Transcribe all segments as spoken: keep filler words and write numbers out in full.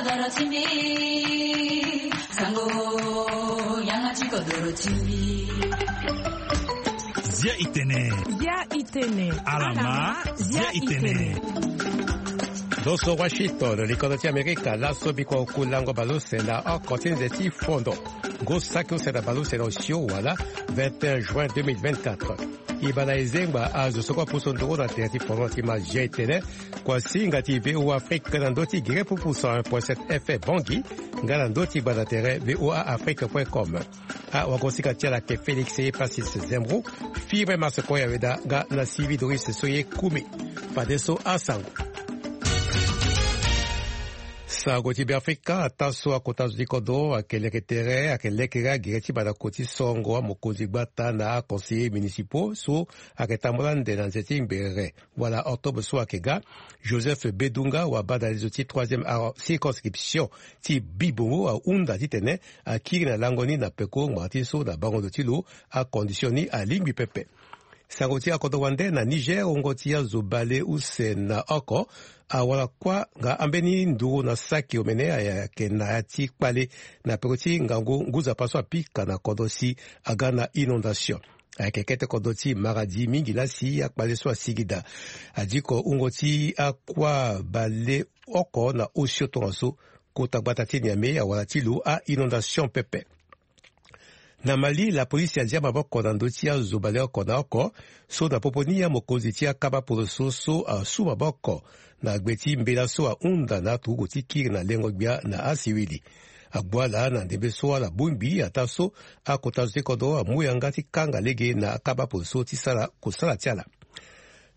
Zia itene. Zia itene. Alama, zia itene. Ndo so Washington, likodro ti Amerika, laso biko kulango baleuse na oko ti nze ti fondo. Ngo saki use na baleuse na osio wala vingt et un juin deux mille vingt-quatre. E baa na e zengba azo so kue apusu nduru na tere ti fondo ti ma zia itene. Kua singa ti V O A Afrique na ndö ti gere pupu cent un point sept F M Bangui, nga na ndö ti gbanda tere V O A Afrique point com. Awagosinga ti ala ayeke Félix Epasis Zembro, Fibre Marse Koya Weda nga na Sylvie Doris so ye kumi. Fadeso asango. Sango ti Beafrika, ataa so akota zo ti kodro ayeke leke tere, ayeke lekere agere ti mandako ti sorongo amokonzi gbata na aconseiller municipaux so ayeke tambula ande na nze ti ngbere wala octobre so ayeke ga. Joseph Bedunga wabadale zo ti troisième ar-, circonscription ti Bibongo ahunda titene akiri na lango ni na peko ngbanga ti so na bango ndo ti lo acondition ni alingbi pepe. Sango ti akodro wande na Niger, wungo ti azo baleuse na oko awara kuâ nga ambeni nduru na saki omene ayeke na ya ti kpale na peko ti ngangu ngu nzapa so apika na kodro si aga na inondation. Ayeke kete kodro ti Maradi mingi laa si akpale so asigi daa. Adiko wungo ti akuâ baleoko na osio tongaso, kota gbata ti Niamey awara ti lo a-inondation pepe. Na Mali, lapolisi azia maboko na ndö ti azo baleoko na oko so na popo ni amokonzi ti akaba poroso so asu maboko na gbe ti mbela so ahunda na aturugu ti kiri na lengo-gbia na asiwili. Agbu ala na ndembe so ala bongbi ataa so akota zo ti kodro amu yanga ti kanga lege na akaba poroso ti sara kosala ti ala.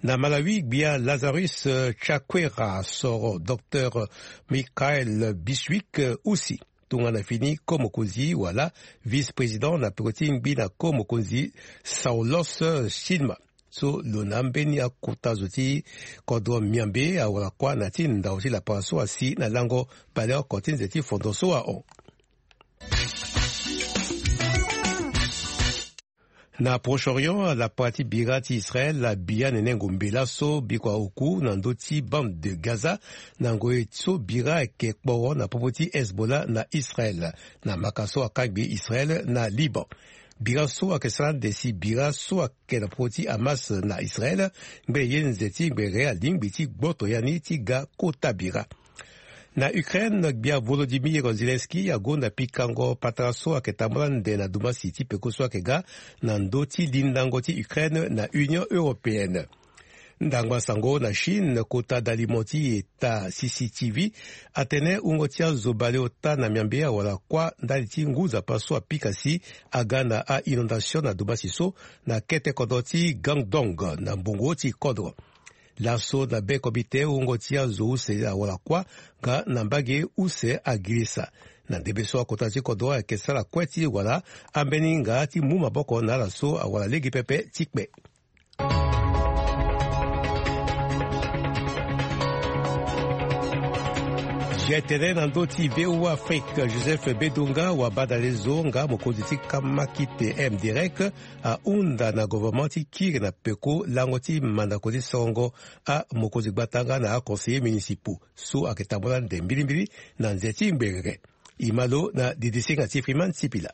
Na Malawi, gbia Lazarus, eh, Chakwera soro Docteur Michael Biswick, eh, Usi tongana fini ko mokonzi wala vice-président na peko ti ngbi na ko mokonzi Saulos, eh, Chilima. So lo na ambeni akota zo ti kodro Miambe awara kuâ na ya ti ndau ti lapara so asi na lango baleoko ti nze ti fondo so ahon. Na Proche-Orient, lapara ti bira ti Israël abi anene ngombe laso biko aoku na ndö ti bande de Gaza, na ngoi so bira ayeke kporo na popo ti Hezbollah na Israël, na maka so akangbi Israël na Liban. Bira so ayeke sara ande si bira so ayeke na popo ti Hamas na Israël, ngbe ye nze ti ngbere alingbi ti gboto ya ni ti ga kota bira. Na Ukraine, gbia Volodymyr Zelensky agonda pikango patara so ayeke tambula ande na dumasi ti peko so ayeke ga na ndö ti lindango ti Ukraine na Union Européenne. Ndangba sango na Chine, kota dalimo ti eta C C T V atene wungo ti azo baleota na Miambe awara kuâ ndali ti ngu nzapa so apika si aga na a-inondation na dumasi so na kete kodro ti Guangdong na mbongo ti kodro. Laso na be comité, wungo ti azo use awara kuâ nga na mbage use agirisa. Na ndembe so akota ti kodro ayeke sara kue ti wara ambeni nga ti mu maboko na ala so awara lege pepe ti kpe. Zia itene na ndö ti V O A Afrique, Joseph Bedunga wabadale zo nga mokonzi ti kamakite M direct ahunda na gouvernement ti kiri na peko lango ti mandako ti sorongo amokonzi gbata nga na aconseillers municipaux so ayeke tambula ande mbilimbili na nze ti ngbere. E ma lo na didisinga ti Freeman Sipila.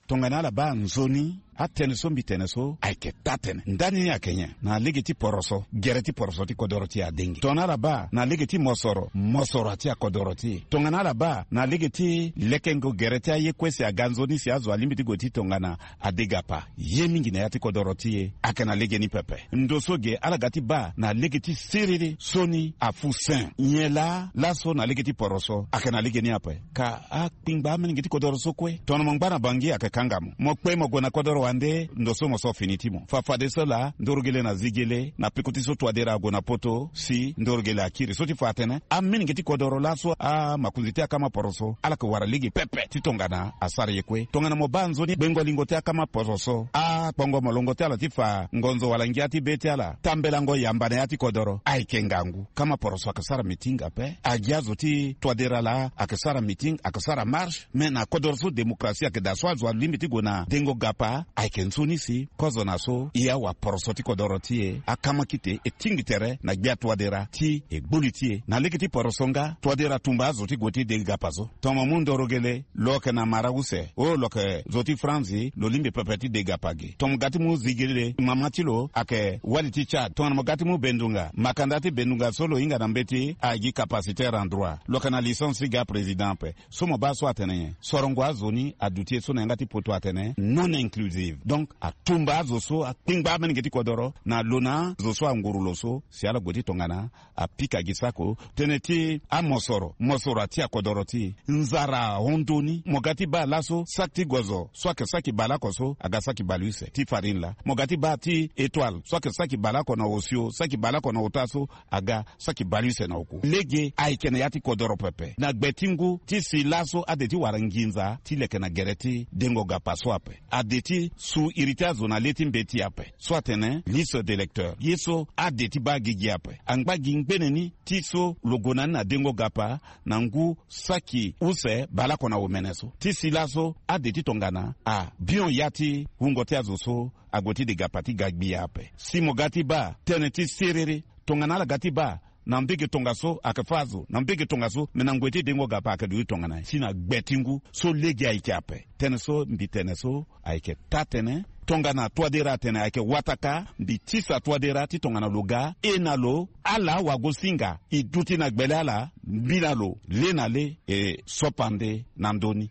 Tongana ala baa nzoni, atënë so mbi tene so ayeke taa tënë. Ndani ni ayeke nyen? Na lege ti poroso, gere ti poroso ti kodoro ti e adengi. Tongana ala baa na lege ti mosoro, mosoro ati akodoro ti e. Tongana ala baa na lege ti lekengo gere ti aye kue si aga nzoni si azo alingbi ti gue ti tongana ade gapa, ye mingi na ya ti kodoro ti e ayeke na legeni pepe. Ndo so ge ala ga ti baa na lege ti siriri so ni afu sen. Nyen laa laso na lege ti poroso ayeke na legeni ape? Ka akpingba amolenge ti kodoro so kue. Tongana mo ngba na Bangui ayeke kanga mo. Mo kpe mo gue na kodoro wande, ndo so mo so fini ti mo. Fa fadeso laa ndorogele na zigele na peko ti so Touadéra ague na poto si ndorogele akiri. So ti fa atene amolenge ti kodoro laso amakonzi ti akama poroso ala yeke wara lege pepe ti tongana asara ye kue. Tongana mo baa nzoni gbengo lingo ti akama poroso, akpongo molongo ti ala ti fa ngonzo wala ngia ti be ti ala tambelango yamba na ya ti kodoro ayeke ngangu. Kama poroso ayeke sara meeting ape. Agi azo ti Touadéra laa ayeke sara meeting, ayeke sara marche. Me na kodoro so démocratie ayeke daa so azo alingbi ti gue na dengo gapa, Ayeke nzoni si kozo na so e awaporoso ti kodoro ti e akama kite e tingbi tere na gbia Touadéra ti e gbu li ti e. Na lege ti poroso nga, Touadéra atumba azo ti gue ti Degapa so. Tongana mo mu Ndorogele, lo yeke na mara use. Oh, lo yeke zo ti Franzi, lo lingbi pepe ti Degapa ge. Tongana mo ga ti mu Zigele, mama ti lo ayeke wali ti Tchad. Tongana mo ga ti mu Bendunga, makanda ti Bendunga so lo hinga na mbeti agi capacitaire en droit. Lo yeke na licence ti ga président ape. So mo baa so atene nyen? Sorongo azo ni aduti e so na yanga ti poto atene non inclusive. Donc atumba azo so akpingba amolenge ti kodoro na lo na azo so anguru lo so si ala gue ti tongana apika gi sako tënë ti amosoro, mosoro ati akodoro ti e. Nzara ahon ndoni. Mo ga ti baa laso saki ti gozo so ayeke saki baleoko so aga saki baleuse ti farine laa. Mo ga ti baa ti Etoile so ayeke saki baleoko na osio, saki baleoko na ota so aga saki baleuse na oku. Lege ayeke na ya ti kodoro pepe. Na gbe ti ngu ti si laso ade ti wara nginza ti leke na gere ti dengo gapa so ape. Ade ti su iri ti azo na le ti mbeti ape so atene liste d'électeurs. Ye so ade ti baa gigi ape angba gi ngbene ni ti so lo gue na ni na dengo gapa na ngu saki use baleoko na omene so. Ti si laso ade ti tongana abion ya ti wungo ti azo so ague ti Degapa ti ga gbia ape. Si mo ga ti baa tënë ti serere, tongana ala ga ti baa na mbege tongaso ayeke fâ azo, na mbege tongaso, me na ngoi ti dengo gapa ayeke duti tongana nyen? Si na gbe ti ngu so lege ayeke ape. Tënë so mbi tene so ayeke taa-tënë. Tongana Touadéra atene ayeke wataka, mbi tisa Touadéra ti tongana lo ga e na lo, ala wagosinga e duti na gbele ala, mbi na lo le na le e sopande na ndö ni.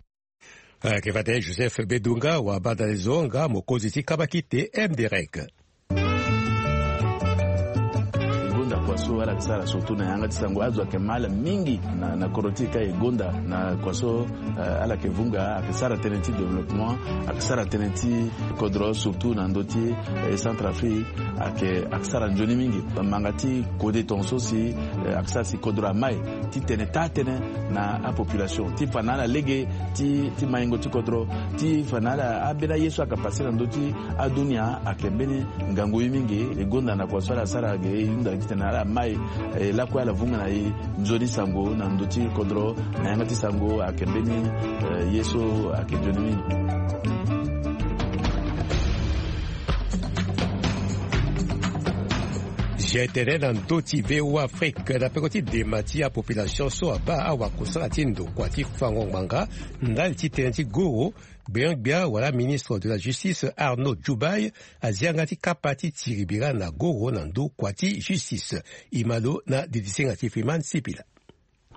Ayeke fade Joseph Bedunga wabanda na e zo nga mokonzi ti kabakite M D R E C. E gonda kua so ala yeke sara surtout na yanga ti sango, azo ayeke ma ala mingi na, na kodro ti e ka e gonda na kua so, eh, ala yeke vunga, ayeke sara tënë ti développement, ayeke sara tënë ti kodro surtout na ndö ti, eh, Centrafrique, ayeke, ayeke sara nzoni mingi. Manga ti kode tongaso si, eh, ayeke sara si kodro amai ti tene taa-tënë na apopulation ti fa na ala lege ti, ti maingo ti kodro, ti fa na ala ambeni aye so ayeke pase na ndö ti adunia ayeke mbeni ngangu ye mingi. E gonda na kua so ala sara ge e hunda gi titene ala mai, eh, lakue ala vunga na e nzoni sango na ndö ti kodro na yanga ti sango ayeke mbeni, eh, ye so ayeke nzoni mingi. G T N na ndö ti V O A Afrique na peko ti dema ti apopulation so abaa awakusala ti ndokua ti fango ngbanga ndali ti tënë ti goro. Gbenyogbia wala ministre de la justice Arnaud Djoubaye azia nga ti kapa ti tiri bira na goro na ndö kua ti justice. E ma lo na didisenga ti Freeman Sipila.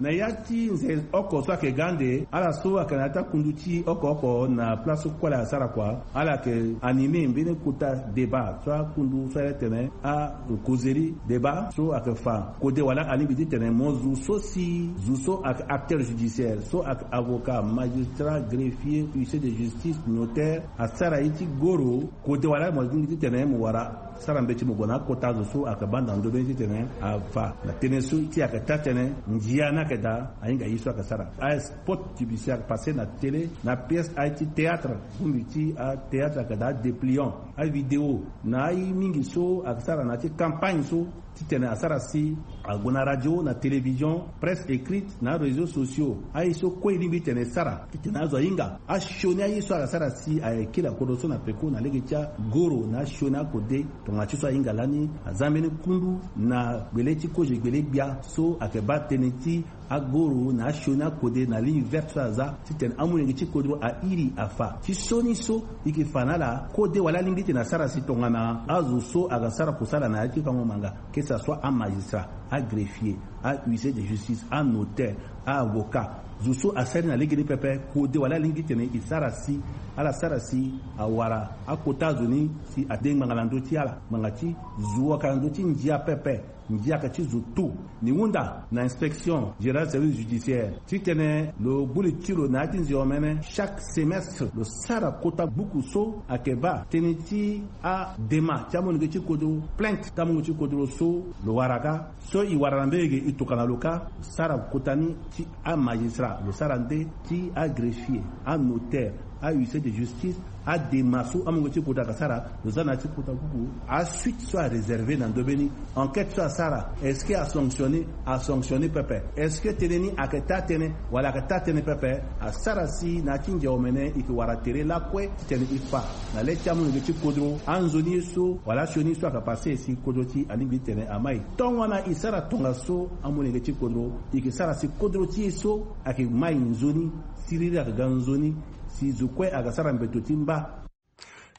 Na ya ti nze oko so ayeke ga ande, ala so ayeke na ya ti akundu ti oko oko na place kue ala asara kua, ala yeke animer mbeni kota débat so akundu so ala tene a causerie débat so ayeke fa kode wala alingbi titene mo zo so si zo so ayeke acteur judiciaire, so ayeke avocat, magistrat, greffier, huissier de justice, notaire, asara ye ti goro kode wala mo lingbi titene mo wara sara mbeti mo gue na akota zo so ayeke baa na ndo mbeni titene afa na tënë so ti ayeke taa-tënë. Ndia ni ayeke daa ahinga ye so ayeke sara. Aye spot ti bisi ayeke passe na télé na pièce aye ti théâtre. Bongbi ti athéâtre ayeke daa adépliant avidéo na aye mingi so ayeke sara na ya ti campagne so titene asara si ague na radio, na télévision, presse écrite, na aréseaux sociaux. Aye so kue e lingbi titene e sara titene azo ahinga asioni aye so ala sara si ayeke kiri akodro so na peko na lege ti agoro na asioni akode. Tongana ti so ahinga lani aza mbeni kundu na gbele ti kozo gbele gbia so ayeke baa tënë ti agoro na asioni akode na ligne verte so aza titene amolenge ti kodro airi afa. Ti so ni so e yeke fa na ala kode wala alingbi titene asara si tongana azo so ayeke sara kusala na ya ti fango ngbanga, que ça soit amagistrat, agreffier, ahuissier de justice, anotaire, aavocat, zo so asara ni na legeni pepe, kode wala alingbi titene e sara si ala sara si awara akota zo ni si ade ngbanga na ndö ti ala. Ngbanga ti zo ayeke na ndö ti ndia pepe. Ndia ayeke ti zo tu. Ni hunda na inspection générale service judiciaire titene lo gbu li ti lo na ya ti nze omene chaque semestre lo sara kota buku so ayeke baa tënë ti adema ti amolenge ti kodro, plainte ti amolenge ti kodro so lo wara ka. So e wara na mbege e tokua na lo ka. Sara kota ni ti amagistrat, lo sara nde ti agreffier, anotaire, Ahuissier de justice, adema so amolenge ti kota ayeke sara, lo za na ya ti kota kuku. Asuite so aréserve na ndö be ni. Enquête so asara, est-ce que asanctionne? Asanctionne pepe. Est-ce que tënë ni ayeke taa tënë wala ayeke taa tënë pepe? Asara si na ya ti ngia omene e yeke wara tere lakue titene e fa na le ti amolenge ti kodro anzoni ye so wala asioni ye so ayeke pase si kodro ti e alingbi titene amai. Tongana e sara tongaso, amolenge ti kodro, e yeke sara si kodro ti e so ayeke mai nzoni, siriri ayeke ga nzoni, si zo kue ayeke sara mbeto ti mba.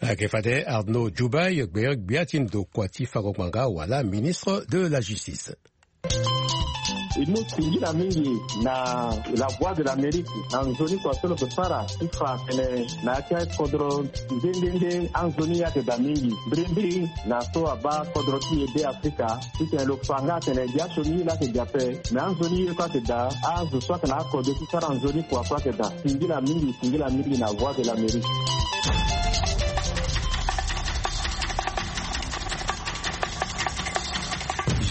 Ayeke fade Arnaud Djoubaye, gbia ti ndokua ti fango ngbanga wala ministre de la justice. E mu singila mingi na La Voix de l'Amérique na nzoni kua so lo yeke sara ti fa tene na ya ti akodro nde nde nde anzoni ayeke daa mingi. Mbirimbiri na so abaa kodro ti e Be Afrika titene lo fa nga atene gi asioni ye laa ayeke daa ape, me anzoni ye kue ayeke daa, azo so ayeke na akodro ti sara nzoni kua kue ayeke daa. Singila mingi, singila mingi na Voix de l'Amérique.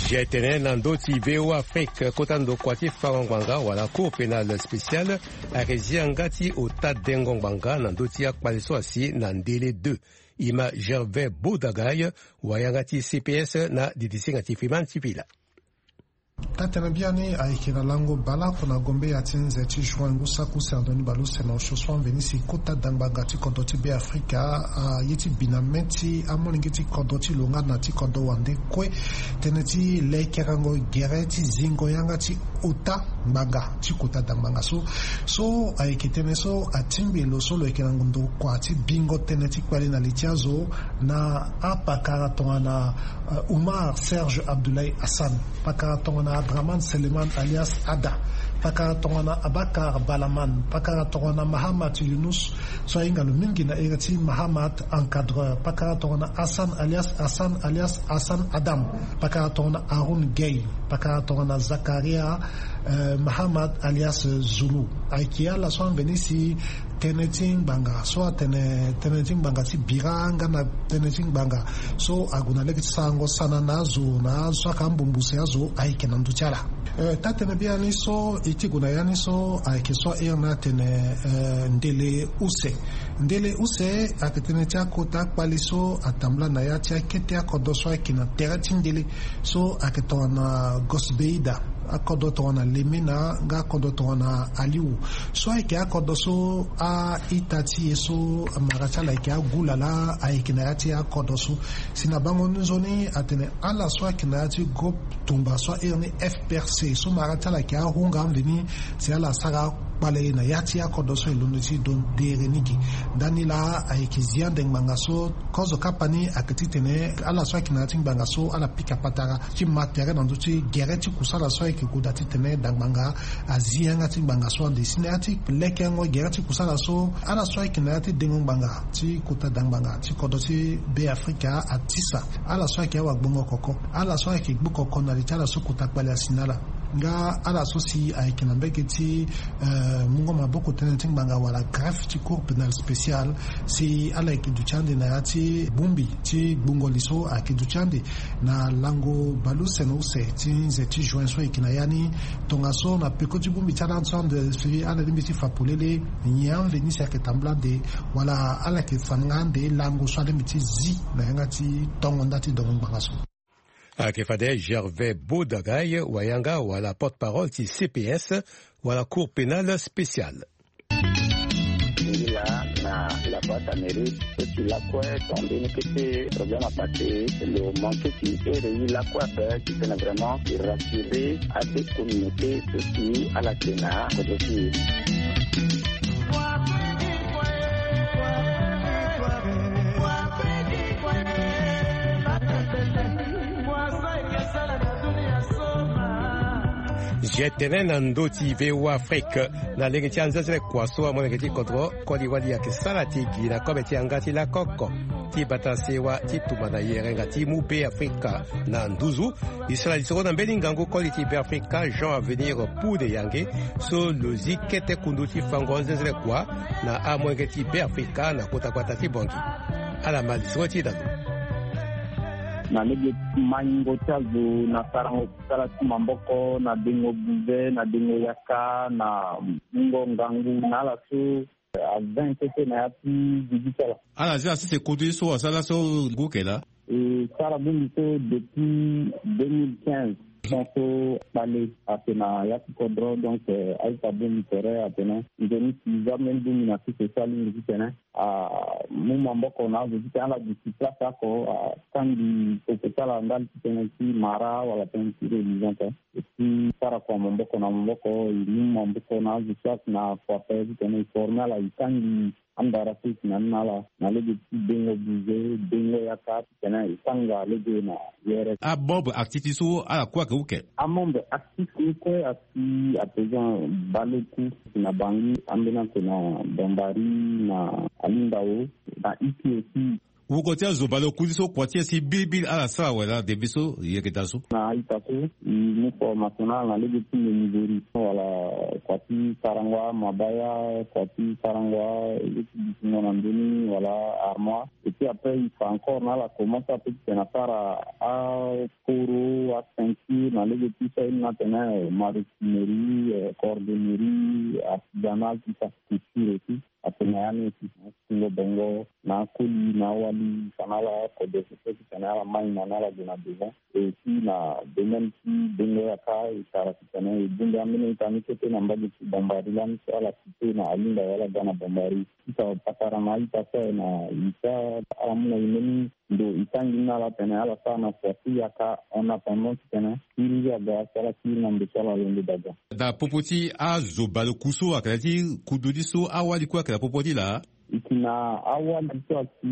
G T N na ndö ti V O A Afrique, kota ndokua ti fango ngbanga wala Cour pénale spéciale ayeke zi yanga ti ota dengo ngbanga na ndö ti akpale so asi na Ndele deux. E ma Gervais Bodagay, wayanga ti C P S na didisinga ti Fiman ti Pila. Taa-tënë biani ayeke na lango baleoko na gombe ya ti nze ti juin ngu saki use na ndoni baleuse na osio so amveni si kota dangbanga ti kodro ti Be Afrika aye ti bi na mê ti amolenge ti kodro ti lo nga na ti kodro wande kue. Tënë ti lekerengo gere ti zingo yanga ti ota ngbanga ti kota dangbanga so. So ayeke tënë so atingbi lo so lo yeke na ndokua ti bingo tënë ti kpale na li ti azo na apakara tongana, eh, Oumar Serge Abdoulaye Hassan, pakara tongana Adraman Seleman alias Ada, pakara tongana Abakar Balaman, pakara tongana Mahamat Younous, so ahinga lo mingi na iri ti Mahamat Encadreur, pakara tongana Hassan alias Hassan alias Hassan Adam, pakara tongana Haroun Gueye, pakara tongana Zakaria, eh, Mahamat alias Zulu. Ayeke ala so amveni si tënë ti ngbanga so atene tënë ti ngbanga ti bira nga na tënë ti ngbanga so ague na lege ti sarango sana na azo na azo so ayeke ambumbu si azo ayeke na ndö ti ala. Eh, taa-tënë biani so e ti gue na ya ni so ayeke so airi ni atene, eh, ndele use. Ndele use ayeke tënë ti akota akpali so atambula na ya ti akete akodro so ayeke na tere ti ndele so ayeke tongana Gosbeida, akodro tongana Lemena nga akodro tongana Aliou. So ayeke akodro so a-ita ti e so amara ti ala ayeke agu lala ayeke na ya ti akodro so. Si na bango ni nzoni atene ala so ayeke na ya ti groupe tumba so airi ni F P R C so mara ti ala ayeke ahunga amveni si ala sara kpale na ya ti akodro so e londo ti do dere ni gi. Ndani laa ayeke zi ande ngbanga so kozo kapa ni ayeke titene ala so ayeke na ya ti ngbanga so ala pika patara ti ma tere na ndö ti gere ti kusala so ayeke gue daa titene dangbanga azi yanga ti ngbanga so ande si na ya ti lekerengo gere ti kusala so ala so ayeke na ya ti dengo ngbanga ti kota dangbanga ti kodro ti Be Afrika atisa ala so ayeke awagbongo koko, ala so ayeke gbu koko na li ti ala so kota kpale asi na ala. Nga ala so si ayeke na mbege ti, eh, mungo maboko tënë ti ngbanga wala greffe ti Cour pénale spéciale, si ala yeke duti ande na ya ti bongbi ti gbungo li so ayeke duti ande na lango baleuse na use ti nze ti juin so ayeke na ya ni. Tongaso na peko ti bongbi ti ala so ande si ala lingbi ti fa polele nyen amveni si ayeke tambula ande wala ala yeke fa nga ande lango so alingbi ti zi na yanga ti tongo nda ti dongo ngbanga so. Ayeke fade Gervais Bodagay, wayanga wala porte-parole ti C P S wala Cour pénale spéciale. Ngila na la boîte Amérique so ti lakue ton mbeni kete problème apase lo manke ti ere ye lakue ape titene vraiment e rassurer ade communauté so si ala yeke na kodro ti e. G T N na ndö ti V O A Afrique. Na lege ti anzenzele kua so amolenge ti kodro koli wali ayeke sara ti gi na kobe ti yanga ti lakoko ti bata sewa ti tumba na yerenga ti mu Be Afrika na nduzu. E sara lisoro na mbeni ngangu koli ti Be Afrika Jean Avenir Pude Yange so lo zi kete kundu ti fango anzenzele kua na amolenge ti Be Afrika na kota gbata ti Bangui. Ala ma lisoro ti e na lo. Na lege maingo ti azo na sarango sala ti maboko na dengo buze na dengo yaka na mungo ngangu na ala so Aven kete na ya ti gigi ti ala. Ala zi asese kudu ye so asara so ngu ke laa. E sara bongbi so depuis deux mille quinze. Son so kpale ate na ya ti kodro, donc aita bongbi tere atene nzoni si za mbeni bongbi na sese so alingbi titene amu maboko na azo titene ala duti place oko, atangi koko ti ala ndali titene ti mara wala tënë ti religion te. E ti sara kua maboko na maboko, e mu maboko na azo so ake na kua pe titene e forme ala, e tangi andara so e si na ni na ala na lege ti dengo bize, dengo yaka titene e tanga lege na yere. Amembre actif ti so ala kue ake uke. Amembre actif ni kue asi à présent baleku na Bangui, ambeni ake na Bambari, na Alindawo, na Iki aussi. Woko ti azo baleku ti so kua ti e si bilibili ala sara wala debe so yeke daa so. Na a-ita so e mu formation na ala na lege ti menuiserie wala kua ti sarango amabaya, kua ti sarango a-, ye ti dutingo na ndö ni wala armoire. Et puis après e fa encore na ala commence ape titene asara aporo, aceinture na lege ti so aye ni na tene maroquinerie, euh, cordonnerie, artisanal, tout ça, couture aussi. Atene na ya ni aussi, na tingo bongo, na akoli, na awali, fa na ala kode so so titene ala mai na ni ala gue na devant. Et aussi na domaine ti dengo yaka, e sara titene e bongbi ambeni ita ni kete na mbage ti Bambari lani so ala cité na Alindawo wala ga na Bambari. Ti fa patara na a-ita so aye na ita, ala mu na e mbeni ndo e tangi ni na ala tene ala sara na kua ti yaka en attendant titene kiri aga si ala kiri na ndo so ala londo daga. Na popo ti azo baleku so ayeke na ya ti kudu ni so, awali kue ayeke na popo ti laa? E yeke na awali so ayeke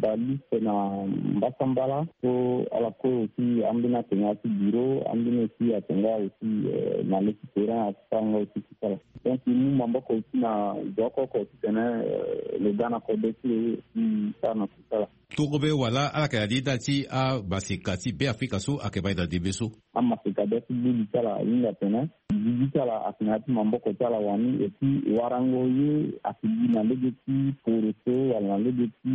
baleku na mbasambala so ala kue aussi ambeni atene ya ti bureau, ambeni aussi atene nga aussi, euh, na le ti terrain asara nga aussi ti sara. Donc e mu maboko aussi na zo oko oko titene, euh, lo ga na kode ti e aussi sara na kusala. Torobe wala ala yeke na li ndali ti amaseka ti Beafrika so ayeke baa e na ndembe so? Amaseka bia ti gbuli ti ala ahinga atene gigi ti ala ayeke na ya ti maboko ti ala wani, et puis warango ye ayeke gi na lege ti poro so wala na lege ti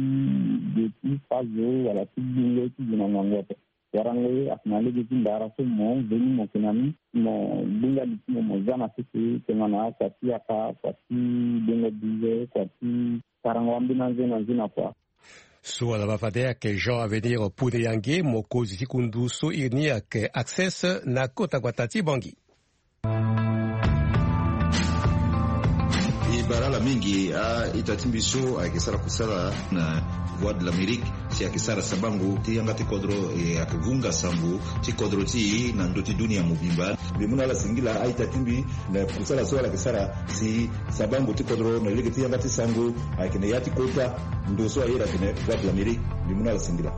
ge ti fazo wala ti gbungo ti gi na ngangu ape. Warango ye ayeke na lege ti ndara so mo veni mo yeke na ni, mo gbinga li ti mo, mo za na sese tongana kua ti yaka, kua ti dengo bize, kua ti sarango ambeni anze na nze na kua. So ala ma fade ayeke Jean Avenir Pune Yange, mokonzi ti kundu so iri ni ayeke Access na kota gbata ti Bangui. E bara ala mingi a-ita ti mbi so ayeke sara kusala na Voix de l'Amérique, si ayeke sara sabango ti yanga ti kodro, e ayeke vunga sango ti kodro ti e na ndö ti dunia mobimba. Mbi mu na ala singila a-ita ti mbi na kusala so ala yeke sara si sabango ti kodro na lege ti yanga ti sango ayeke na ya ti kota ndo so ayeke na Voix de l'Amérique. Mbi mu na ala singila.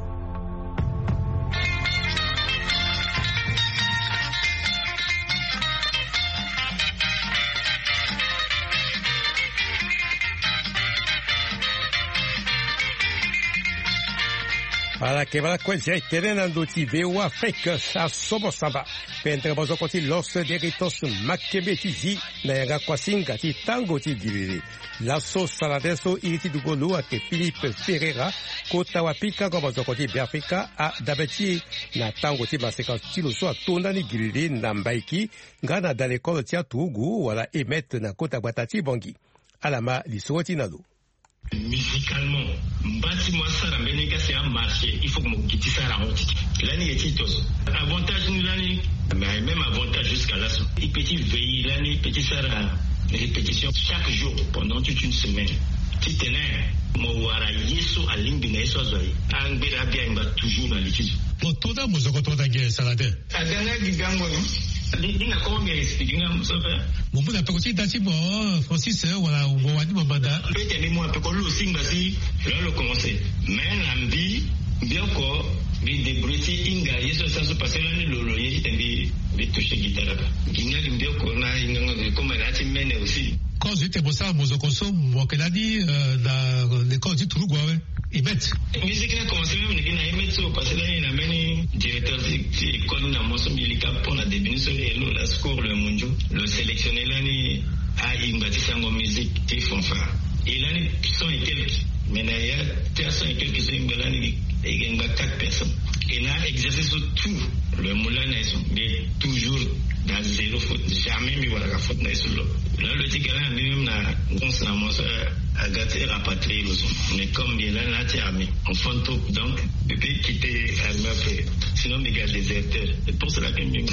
Ala yeke baa lakue zia e tene na ndö ti V O A Afrique, asobo samba. Pendere mozoko ti Los Deritos Makembe ti zi na yanga kuasinga ti tango ti giriri. Laso salade so iri ti dugolo ayeke Philippe Ferreira, kota wapikango mozoko ti Beafrika, adabe ti e na tango ti maseka ti lo so ato ndani giriri na Mbaiki nga na dalekolo ti aturugu wala Emet na kota gbata ti Bangui. Ala ma lisoro ti na lo. Musicalement, mba ti mo asara mbeni kasi amarche, il faut que mo gi ti sara yango ti lani ye ti to so. Avantage ni lani, mais même avantage jusqu'à laso. I peut ti veiller lani, i peut ti sara répétition chaque jour pendant toute une semaine. Titene mo wara ye so alingbi na ye so azo aye. Angbe da abi angba toujours na li ti zo. Mo to da mo zo ko to da ge salade. Aga nga gi gango ni. Di, di na kongo mbi expliquer nga mo so fe. Mo mu na peko ti da ti mo, Francis, eh, wala mo wani mo manda. Peut-être mbi mu na peko lo si ngba si lo lo commencer. Mais na mbi, mbi oko, mbi débrouiller ti hinga ye so sa so parce que lani lo, lo ye ti tene mbi, mbi toucher guitare aba. Gi nga gi mbi oko na hinga nga comme na ti mene aussi. Kozo ti tene mo sara mozoko so mo yeke lani, euh, na lekole ti turugu awe. Emet. Musique ni a commencé même na Emet so parce que lani na mbeni directeur ti, ti école ni na mo so mbi lika pendant début ni so e lo la score le mondio. Lo sélectionner lani a-ingba ti sango musique ti fanfare. E lani cent et quelques. Mais na ya ti a cent et quelques so e ngba lani e yeke ngba quatre personnes. E na exercice so tout le monde lani na ye so. Mais toujours dans Zéro faute, jamais mbi waraka faute na ye so lo. Là lo ti gala na mbi même na réponse na moi so aga ti rapatrier lo so. Mais comme mbi lani na ti armée, on fond trop, donc mbi peut quitter armée après. Sinon mbi ga déserteur. C'est pour cela que mbi,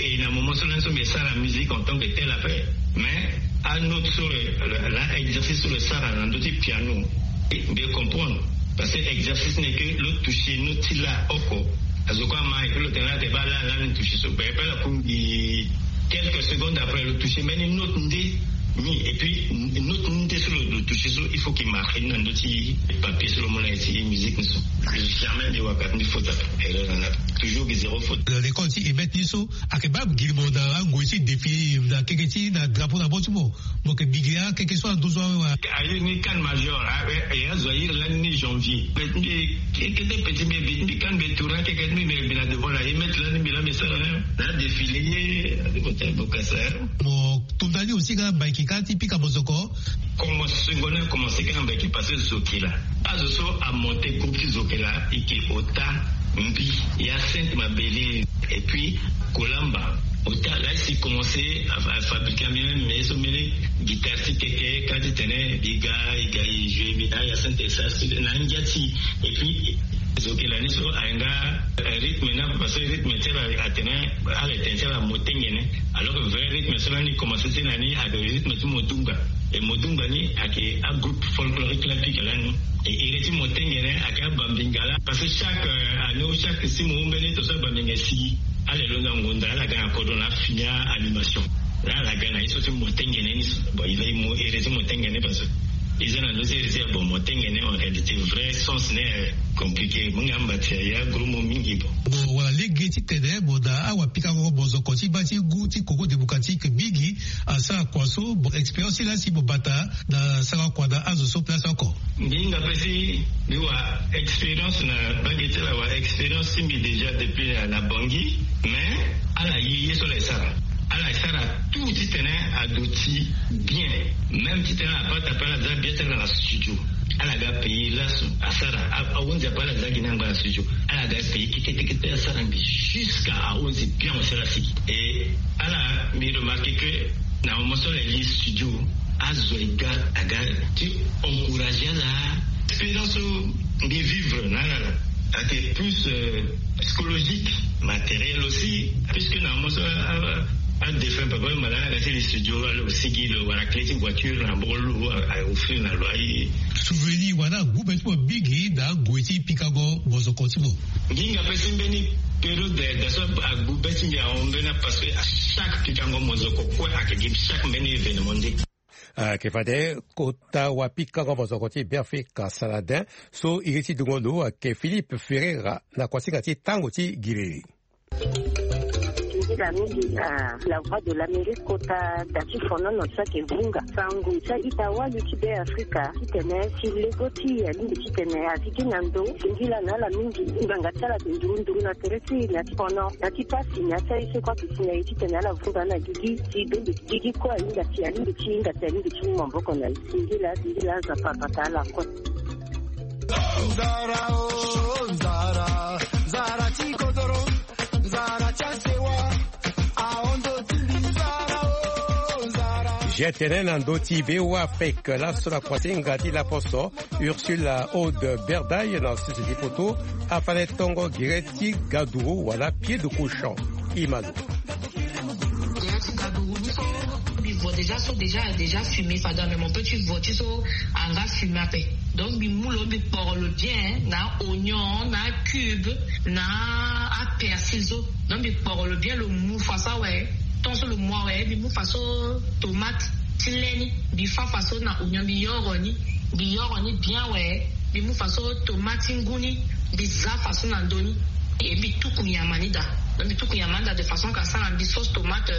et na moment so lani so mbi sara musique en tant que tel après. Mais un autre sur la exercice sur le sara na ndo ti piano. Mbi comprendre. Parce que exercice n'est que lo toucher no ti la oko. Azo kue ama et puis lo tene la te ba la la ni toucher so be pe la kumbi. Quelques secondes après lo toucher mbeni note nde ni, et puis note nde so lo toucher so il faut qu'il marque na ndo ti papier so lo mona ti musique ni so. Jamais mbi waka mbi faute. Erreur na toujours mbi zéro faute. L'école ti emet ni so ake ba giri mo na angoi ti défi na keke ti na drapeau na bo ti mo. Mo ke bigi a keke so ando so awe wa. Aye ni kan major e azo ayiri lani ni janvier. Mbi kete petit mbi mbi kan mbi tourna keke mbi mbi na devant la emet lani mbi la mbi sara na défilé ye. Adi botel bokasa. Mo tunda ni aussi ka mbaiki ka ti pika mozoko. Commence secondaire commence ka mbaiki parce que zokela azo so amonte groupe ti zokela ike ota mbi ya sainte mabele. Et puis kolamba ota la si commencé à fabriquer même mais so mene guitare ti keke ka ti tene biga iga i jeu mbi na ya sainte sa na ngia ti. Et puis zokela ni so ayenga rythme na parce que rythme ti ala atene ala etene ti ala motengene. Alors que vrai rythme so lani commencé ti na ni ake rythme ti modunga. Et modunga ni ake agroupe folklorique la pika lani. Et iri ti motengene ake abambinga la parce que chaque année ou chaque six mois mbeni to so abambinga sigi. Ala elo na ngonda ala ga na kodro na fini animation. La ala ga na ye so ti motengene ni so bon il a mo iri ti motengene parce que i za na ndo ti iri ti ya bon motengene en réalité vrai sens ne compliqué mo nga mbati ya gros mo mingi bon. Bon wala lege ti tene mo na awa pikango mozoko ti ba ti gu ti Congo démocratique mingi. Asara kua so bon expérience ti la si mo bata na sara kua na azo so place oko. Mbi hinga pe si mbi wa expérience na bage ti ala wa expérience ti mbi déjà depuis na bangi. Mais ala ye ye so ala esara ala esara tout ti tene adoti bien. Même ti tene apart apart ala za bien ti ala na studio. Ala ga pays laso asara ahunzi apart ala za gi na ngba na studio. Ala ga pays kete kete asara mbi jusqu'à ahunzi bien mo sara siki et ala mbi remarqué que na moment so ala ye studio azo ega aga ti encourager ala. Expérience so mbi vivre na ala la ake plus psychologique, matériel aussi puisque na moment so adéfunt papa mala na ga ti li studio ala aussi gi lo wala clé ti voiture na mboko lo a offrir na lo aye. Souvenir wala agube ti mo mingi na ague ti pikango mozoko ti mo. Nginga pe si mbeni période da so agbu be ti mbi ahon mbeni parce que à chaque pikango mozoko kue ake gi chaque mbeni événement nde. Ake fade kota wa pikango mozoko ti Biafrika Saladin so iri ti dungo ndo ake Philippe Ferreira na kuasinga ti tango ti giriri. Nzila mingi na la voix de l'Amérique kota da ti fonono so ake vunga sango ti a-ita wali ti Be Afrika titene si lego ti e alingbi titene a sigi na ndo. Singila na ala mingi ngbanga ti ala ake nduru nduru na tere ti e na ti fono na ti pasi na ti aye so kue ake si na e titene ala vunga na gigi si bembe ti gigi kue ahinga si alingbi ti hinga si alingbi ti mu maboko na e. Singila singila Nzapa abata ala kue. Nzara o nzara, nzara ti kodoro, nzara ti asewa. Ahon ndo ti mbi nzara o nzara. G T N na ndo ti V O A Afrique laso na kuasinga ti laposo Ursula Aude Berdaye na sese ti poto afa na e tongo gere ti gaduru wala pied de cochon. Imano. Gere ti gaduru ni so mbi vo déjà so déjà déjà fumé fada mais mon petit vo ti so anga fumé ape. Donc mbi mu lo mbi kporo lo bien na oignon na cube na apersil so. Donc mbi kporo lo bien lo mu fa so awe. Tant so lo mu awe mbi mu fa so tomate ti le ni mbi fa fa so na oignon mbi yoro ni. Mbi yoro ni bien awe. Mbi mu fa so tomate ti ngu ni mbi za fa so na ndo ni. Et mbi tuku nyama ni daa. Donc mbi tuku nyama ni daa de façon ka sara mbi sauce tomate.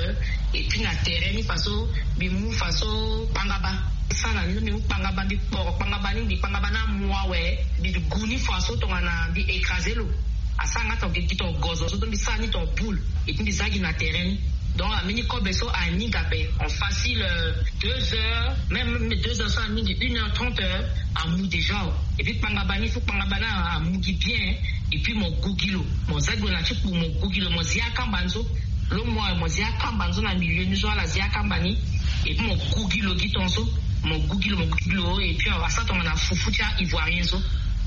Et puis na tere ni fa so mbi mu fa so kpangaba. Sara ni mbi mu kpangaba mbi kporo kpangaba ni mbi kpangaba ni amu awe. Mbi gu ni fa so tongana mbi écrasé lo. Asara nga ton gigi ton gozo so to mbi sara ni ton boule. Et puis mbi za gi na tere ni. Donc ameni kobe so aninga ape en facile deux heures même deux heures so aningi une heure trente heures. Amu déjà o. Et puis kpangaba ni fu kpangaba ni amu gi bien. Et puis mo gu gi lo mo za gi lo na ti kpu mo gu gi lo mo zi akamba ni so. Lo mo aye mo zia kamba ni so na milieu ni so ala zia kamba ni. Et puis mo gugi lo gi ton so, mo gugi lo mo gugi lo et puis asara tongana fufu ti a ivoirien so.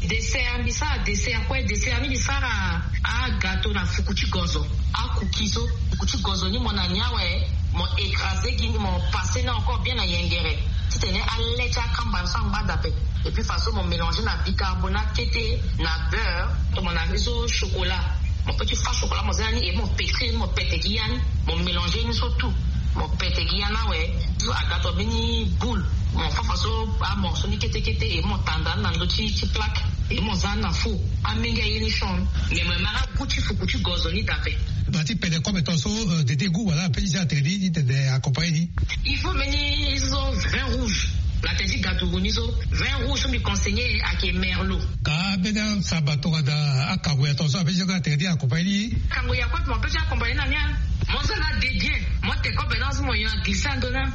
Dessert mbi sara dessert kue dessert ni mbi sara. Agato na fuku ti gozo. Akuki so fuku ti gozo ni mo na ni awe. Mo écrasé gi ni mo passé ni encore bien na yengere. Titene alait ti akamba ni so angba dape. Et puis façon mo mélangé na bicarbonate kete na beurre. Tomo na ni so chocolat. Mo pe ti fa chocolat mo za ni et mo pétri ni mo pete gi ya ni. Mo mélangé ni so tout. Mo pete gi ya ni awe. Agato mbeni boule. Mo fa fa so amorceau ni kete kete et mo tanda ni na ndö ti ti plaque. Et mo za ni na four. Amenge aye ni son. Mais mo mara goût ti fuku ti gozo ni dape. Na ti pede kobe ton so dede goût wala pe ti za tene ni ti tene accompagné ni. Il faut mbeni so vin rouge. Na tene ti gato ro ni so vin rouge so mbi conseillé ake merlot. Ka mbeni asamba tongana akango ya ton so ape ti za tene ni accompagné ni. Kango ya kue mo pe ti accompagné na ni a. Mo za na dedien. Mo te kobe na so mo yo aglissé ando na.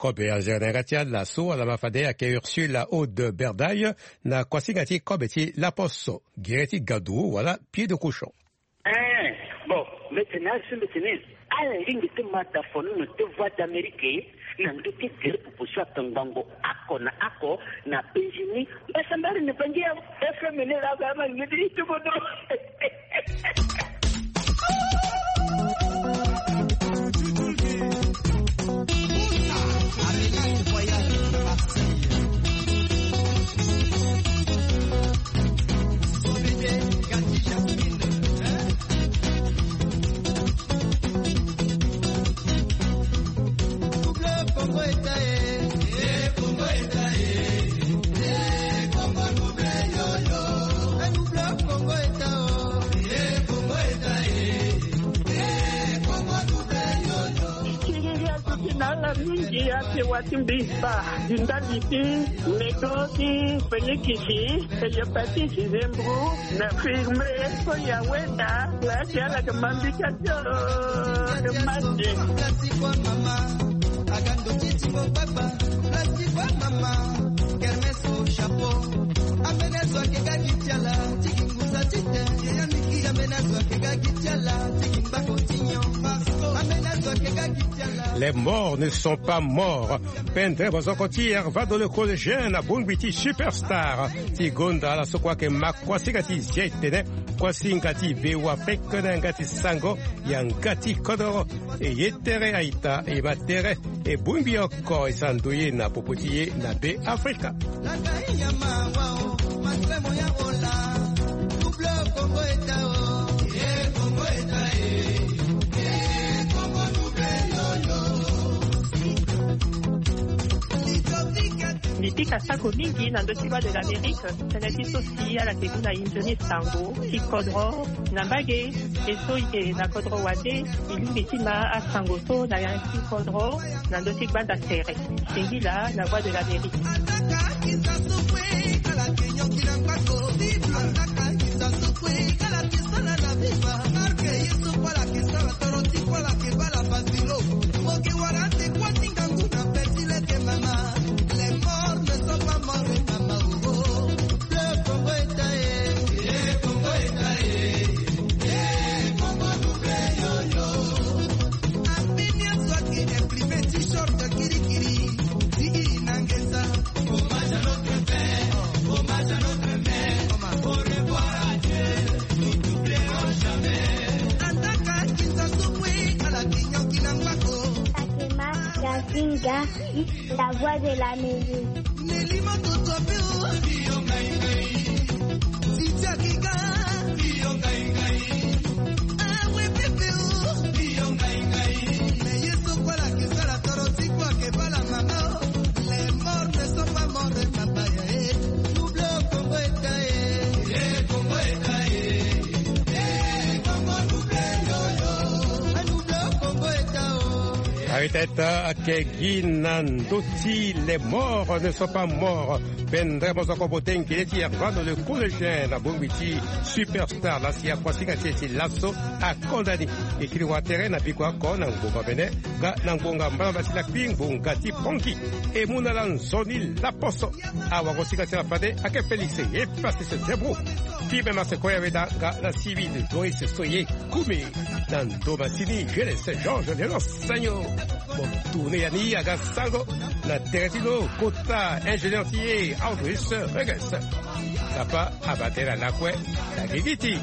Kobe azere na yanga ti ala so ala ma fade ayeke Ursule Aude Berdaye na kuasinga ti kobe ti laposo, gere ti gadu wala pied de cochon. Eh, bon, mbetene azo so mbetene ala lingbi ti ma dafono na te Voix d'Amérique na ndö ti gere popo so atongbango oko na oko na penzi ni. Mbasambari ni bangi ya F M ni la ga ma ni di ti bodo. Ti nala mingi ake wa ti mbi spa di ndali ti medo ti fenikisi, hepatite zembro na firme so ya weda. Lati ala ke mambi ka ti oro ke mande. Les morts ne sont pas morts. Pendere bozoko ti Hervado le collégien na bongbi ti superstar ti gonda ala so kue ayeke ma kuasinga ti zia etene kuasinga ti vewa pekene yanga ti sango yanga ti kodoro. E ye tere aita e ma tere e bongbi oko e sara ndoye na popo ti ye na Be Afrika. Mbi pika sako mingi na ndö ti Voix de l'Amérique. Tënë ti so si ala yeke mu na inzo ni sango ti kodro na mbage. E so e yeke na kodro wande e lingbi ti ma asango so na ya ti kodro na ndö ti gbanda tere. Singila na Voix de l'Amérique. Fatima Gasinga, la voix de l'Amérique. Arteta ake gi na ndö ti les morts ne sont pas morts. Pendere mo soko bote ngele ti Hermano le collégien na bongbi ti superstar la si akuasinga ti e ti laso akonda ni. E kiri watere na biko ako na ngbonga mene nga na ngbonga mbalamba ti lakui ngbonga ti pongi. E mu na ala nzoni laposo. Awagosinga ti ala fade ake Félix e pasi se debro. Ti me mase koya weda nga na civil Doris Soye. Kumi na ndo masini Geles Georges Lelos Sanyo. Mo tourne ya ni aga sango na tere ti lo kota ingénieur ti e Audris Reges. Sapa abatela lakue na gigi ti.